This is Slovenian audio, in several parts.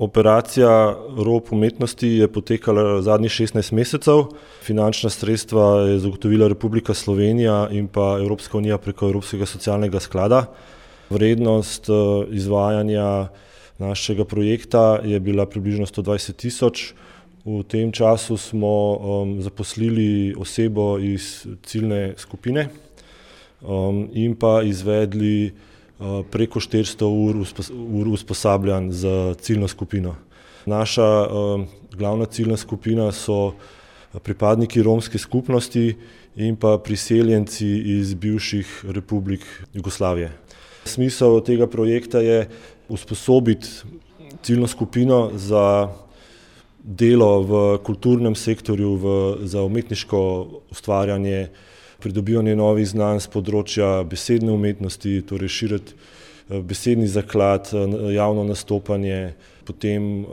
Operacija Rob umetnosti je potekala zadnjih 16 mesecev. Finančna sredstva je zagotovila Republika Slovenija in pa Evropska unija preko Evropskega socialnega sklada. Vrednost izvajanja našega projekta je bila približno 120 000. V tem času smo zaposlili osebo iz ciljne skupine in pa izvedli preko 400 ur usposabljanj za ciljno skupino. Naša glavna ciljna skupina so pripadniki romske skupnosti in pa priseljenci iz bivših republik Jugoslavije. Smisel tega projekta je usposobiti ciljno skupino za delo v kulturnem sektorju, za umetniško ustvarjanje, pridobivanje novih znanj z področja besedne umetnosti, torej širiti besedni zaklad, javno nastopanje, potem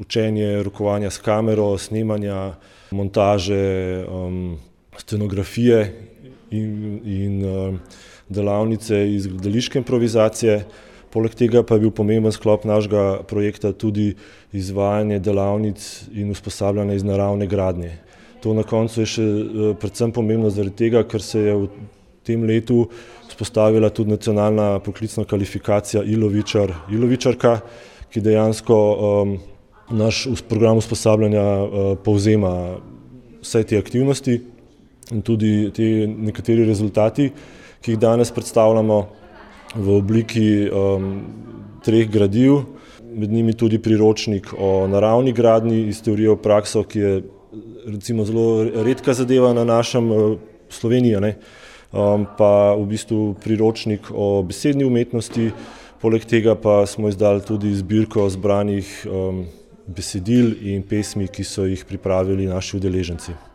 učenje rokovanja s kamero, snemanja, montaže, scenografije in delavnice iz gledališke improvizacije. Poleg tega pa je bil pomemben sklop našega projekta tudi izvajanje delavnic in usposabljanje iz naravne gradnje. To na koncu je še predvsem pomembno zaradi tega, ker se je v tem letu vzpostavila tudi nacionalna poklicna kvalifikacija ilovičarka, ki dejansko naš program usposabljanja povzema vse te aktivnosti in tudi te nekateri rezultati, ki jih danes predstavljamo v obliki 3 gradiv, med njimi tudi priročnik o naravni gradnji iz teorije v prakso, ki je recimo zelo redka zadeva na našem Sloveniji, pa v bistvu priročnik o besedni umetnosti, poleg tega pa smo izdali tudi zbirko zbranih besedil in pesmi, ki so jih pripravili naši udeleženci.